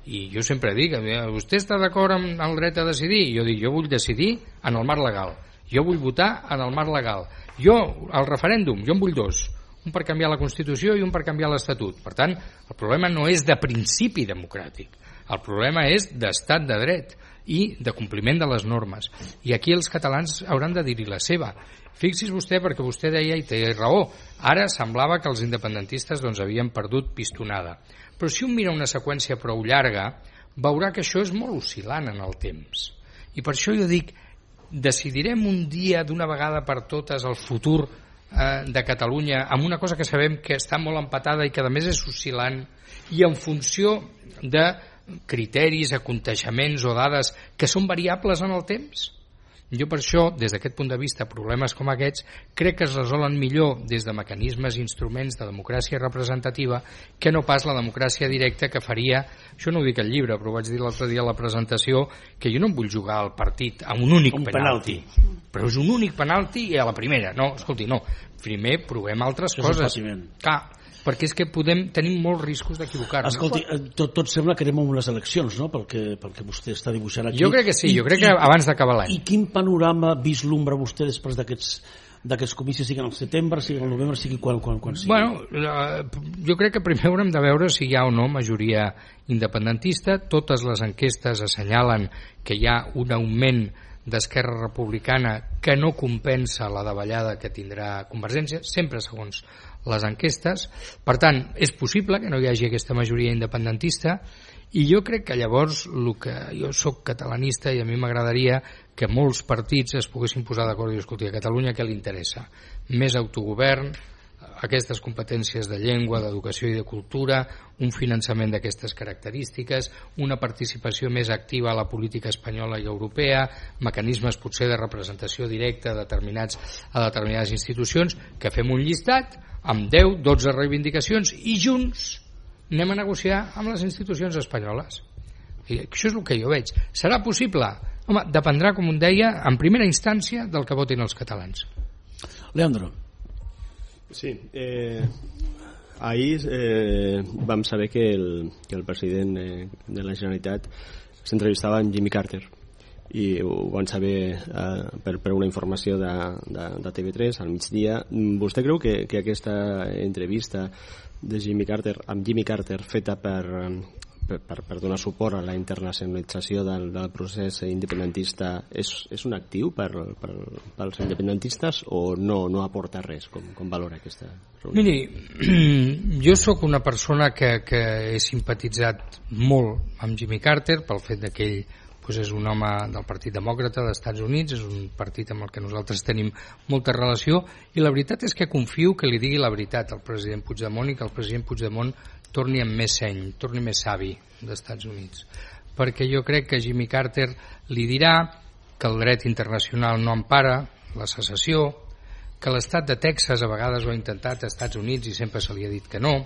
I jo sempre dic, vostè està d'acord amb el dret a decidir? Jo dic, jo vull decidir en el marc legal, jo vull votar en el marc legal, jo el referèndum, jo en vull 2, un per canviar la Constitució i un per canviar l'Estatut. Per tant, el problema no és de principi democràtic, el problema és d'estat de dret i de compliment de les normes. I aquí els catalans hauran de dir-hi la seva. Fixi's vostè, perquè vostè deia, i té raó, ara semblava que els independentistes havien perdut pistonada. Però si un mira una seqüència prou llarga, veurà que això és molt oscil·lant en el temps. I per això jo dic, decidirem un dia d'una vegada per totes el futur de Catalunya amb una cosa que sabem que està molt empatada i que a més és oscil·lant, i en funció de criteris, aconteixements o dades que són variables en el temps. Jo per això, des d'aquest punt de vista, problemes com aquests crec que es resolen millor des de mecanismes i instruments de democràcia representativa que no pas la democràcia directa que faria, això no ho dic al llibre, però ho vaig dir l'altre dia a la presentació, que jo no em vull jugar al partit a un únic penalti. Però és un únic penalti i a la primera. No, escolti, no. Primer provem altres coses. Clar, perquè és que tenim molts riscos d'equivocar-nos. Escolti, tot sembla que anem a unes eleccions, no?, perquè vostè està dibuixant aquí. Jo crec que sí, jo crec que abans d'acabar l'any. I quin panorama vislumbra vostè després d'aquests comicis, sigui al setembre, sigui al novembre, sigui quan sigui? Bueno, jo crec que primer haurem de veure si hi ha o no majoria independentista. Totes les enquestes assenyalen que hi ha un augment d'Esquerra Republicana que no compensa la davallada que tindrà Convergència, sempre segons les enquestes. Per tant, és possible que no hi hagi aquesta majoria independentista, i jo crec que llavors jo soc catalanista i a mi m'agradaria que molts partits es poguessin posar d'acord i escoltar a Catalunya què li interessa. Més autogovern, aquestes competències de llengua, d'educació i de cultura, un finançament d'aquestes característiques, una participació més activa a la política espanyola i europea, mecanismes potser de representació directa a determinades institucions, que fem un llistat amb 10, 12 reivindicacions i junts anem a negociar amb les institucions espanyoles. I això és el que jo veig. Serà possible? Home, dependrà, com un deia, en primera instància del que votin els catalans. Leandro. Sí, ahir vam saber que el president de la Generalitat s'entrevistava amb Jimmy Carter, i ho van saber per una informació de TV3 al migdia. Vostè creu que aquesta entrevista de Jimmy Carter amb Jimmy Carter feta per donar suport a la internacionalització del procés independentista és un actiu pels independentistes o no aporta res? Com valora aquesta reunió? Miri, jo sóc una persona que he simpatitzat molt amb Jimmy Carter pel fet que ell és un home del Partit Demòcrata dels Estats Units, és un partit amb el que nosaltres tenim molta relació, i la veritat és que confio que li digui la veritat al president Puigdemont i que el president Puigdemont torni amb més seny, torni més savi dels Estats Units, perquè jo crec que Jimmy Carter li dirà que el dret internacional no empara la secessió, que l'estat de Texas a vegades ho ha intentat als Estats Units i sempre se li ha dit que no,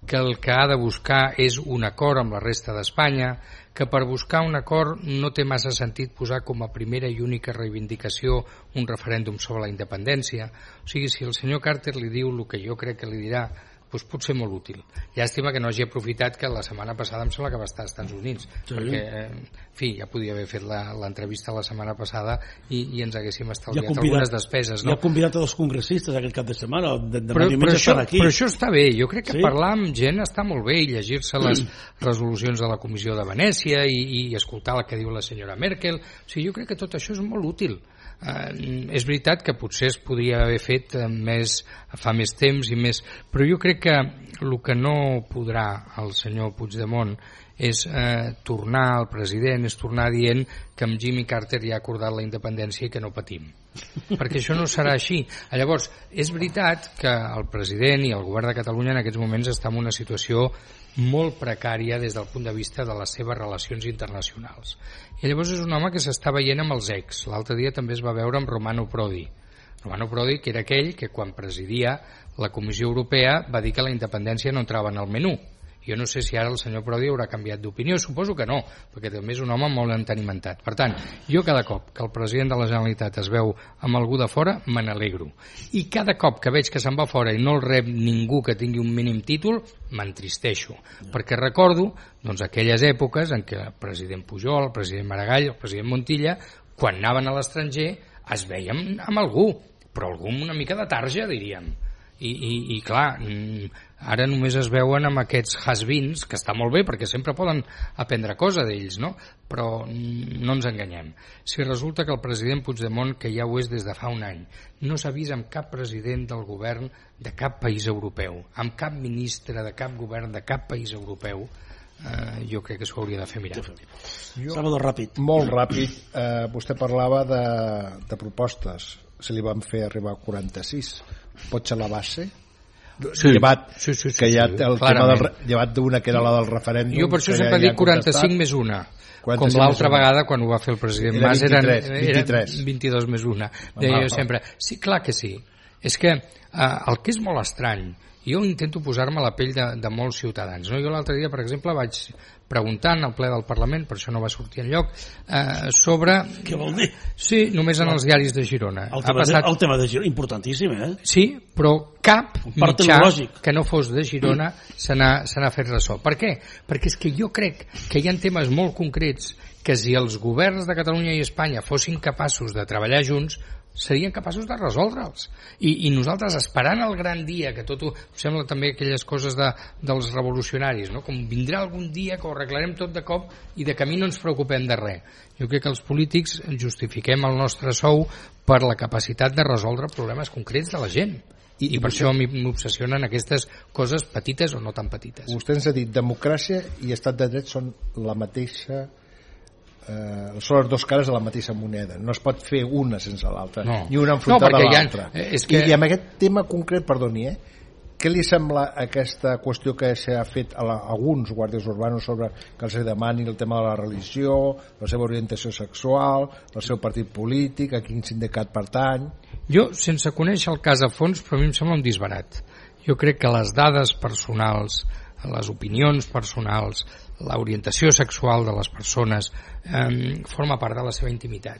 que el que ha de buscar és un acord amb la resta d'Espanya, que per buscar un acord no té massa sentit posar com a primera i única reivindicació un referèndum sobre la independència. O sigui, si el senyor Carter li diu el que jo crec que li dirà, doncs pot ser molt útil. Llàstima que no hagi aprofitat que la setmana passada em sembla que va estar als Estats Units, perquè, en fi, ja podia haver fet l'entrevista la setmana passada i ens haguéssim estalviat algunes despeses. Ja ha convidat a dos congressistes aquest cap de setmana, però això està bé. Jo crec que parlar amb gent està molt bé, i llegir-se les resolucions de la Comissió de Venècia i escoltar el que diu la senyora Merkel. O sigui, jo crec que tot això és molt útil. És veritat que potser es podria haver fet fa més temps i més, però jo crec que el que no podrà el senyor Puigdemont és tornar al president, és tornar dient que amb Jimmy Carter ja ha acordat la independència i que no patim, perquè això no serà així. Llavors, és veritat que el president i el govern de Catalunya en aquests moments està en una situació molt precària des del punt de vista de les seves relacions internacionals, i llavors és un home que s'està veient amb els ex. L'altre dia també es va veure amb Romano Prodi, que era aquell que quan presidia la Comissió Europea va dir que la independència no entrava en el menú. Jo no sé si ara el senyor Prodi haurà canviat d'opinió, suposo que no, perquè també és un home molt entenimentat. Per tant, jo cada cop que el president de la Generalitat es veu amb algú de fora, me n'alegro. I cada cop que veig que se'n va fora i no el rep ningú que tingui un mínim títol, m'entristeixo, perquè recordo aquelles èpoques en què el president Pujol, el president Maragall, el president Montilla, quan anaven a l'estranger es veien amb algú, però algú amb una mica de tarja, diríem. I clar, ara només es veuen amb aquests has-beens, que està molt bé perquè sempre poden aprendre cosa d'ells, no? Però no ens enganyem. Si resulta que el president Puigdemont, que ja ho és des de fa un any, no s'ha vist amb cap president del govern de cap país europeu, amb cap ministre de cap govern de cap país europeu, jo crec que s'ho hauria de fer mirar. Salvador, ràpid. Molt ràpid. Vostè parlava de propostes. Se li van fer arribar 46. Pot ser la base? Sí. Llevat que hi ha el tema llevat d'una que era la del referèndum. Jo per això sempre dic 45 més una, com l'altra vegada quan ho va fer el president Mas eren 22 més una. Deia jo sempre, sí, clar que sí. és que el que és molt estrany, jo intento posar-me a la pell de molts ciutadans, no? Jo l'altre dia, per exemple, vaig preguntant al ple del Parlament, per això no va sortir enlloc, sobre... Què vol dir? Sí, només en els diaris de Girona. El tema de Girona, importantíssim, eh? Sí, però cap mitjà que no fos de Girona se n'ha fet ressò. Per què? Perquè és que jo crec que hi ha temes molt concrets que si els governs de Catalunya i Espanya fossin capaços de treballar junts, serien capaços de resoldre'ls. I nosaltres, esperant el gran dia, que tot ho sembla també aquelles coses dels revolucionaris, no? Com vindrà algun dia que ho arreglarem tot de cop i de camí no ens preocupem de res. Jo crec que els polítics justifiquem el nostre sou per la capacitat de resoldre problemes concrets de la gent. I per això m'obsessionen aquestes coses petites o no tan petites. Vostè ens ha dit democràcia i estat de dret són la mateixa... són les dues cares de la mateixa moneda, no es pot fer una sense l'altra, ni una enfrontada a l'altra. I amb aquest tema concret, perdoni, què li sembla aquesta qüestió que s'ha fet a alguns guàrdies urbanos sobre que els demani el tema de la religió, la seva orientació sexual, el seu partit polític, a quin sindicat pertany? Jo, sense conèixer el cas a fons, però a mi em sembla un disbarat. Jo crec que les dades personals, les opinions personals, l'orientació sexual de les persones forma part de la seva intimitat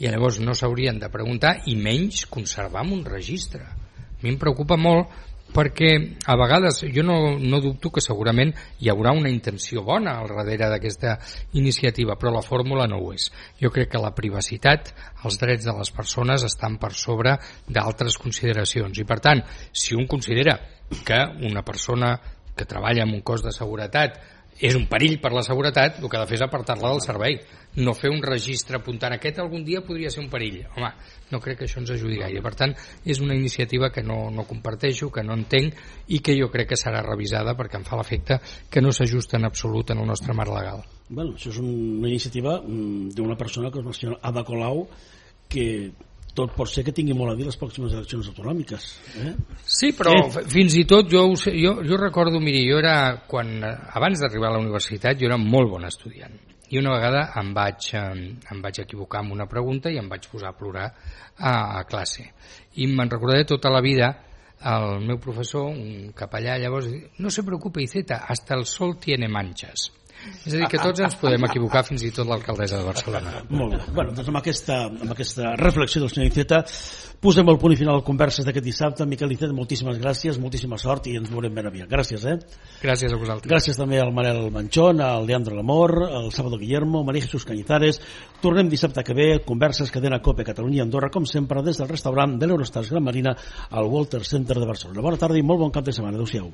i llavors no s'haurien de preguntar i menys conservar en un registre. A mi em preocupa molt perquè a vegades jo no dubto que segurament hi haurà una intenció bona al darrere d'aquesta iniciativa, però la fórmula no ho és. Jo crec que la privacitat, els drets de les persones estan per sobre d'altres consideracions i per tant, si un considera que una persona que treballa en un cos de seguretat és un perill per la seguretat, el que ha de fer és apartar-la del servei, no fer un registre apuntant aquest algun dia podria ser un perill. Home, no crec que això ens ajudi gaire. Per tant, és una iniciativa que no comparteixo, que no entenc i que jo crec que serà revisada perquè em fa l'efecte que no s'ajusta en absolut en el nostre marc legal. Bueno, això és una iniciativa d'una persona que és la senyora Ada Colau, que tot pot ser que tingui molt a dir les pròximes eleccions autonòmiques. Sí, però fins i tot jo recordo, miri, abans d'arribar a la universitat jo era molt bon estudiant i una vegada em vaig equivocar amb una pregunta i em vaig posar a plorar a classe i me'n recordaré tota la vida. El meu professor, un capellà, llavors no se preocupe, Iceta, hasta el sol tiene manchas. És a dir, que tots ens podem equivocar, fins i tot l'alcaldessa de Barcelona. Molt bé. Bueno, doncs amb aquesta reflexió del senyor Iceta posem el punt i final a converses d'aquest dissabte. Miquel Iceta, moltíssimes gràcies, moltíssima sort i ens veurem ben aviat. Gràcies, Gràcies a vosaltres. Gràcies també al Manel Manchón, al Leandro Lamor, al Sábado Guillermo, María Jesús Cañizares. Tornem dissabte que ve, converses cadena COPE Catalunya i Andorra, com sempre, des del restaurant de l'Eurostars Gran Marina al Walter Center de Barcelona. Bona tarda i molt bon cap de setmana. Adéu-siau.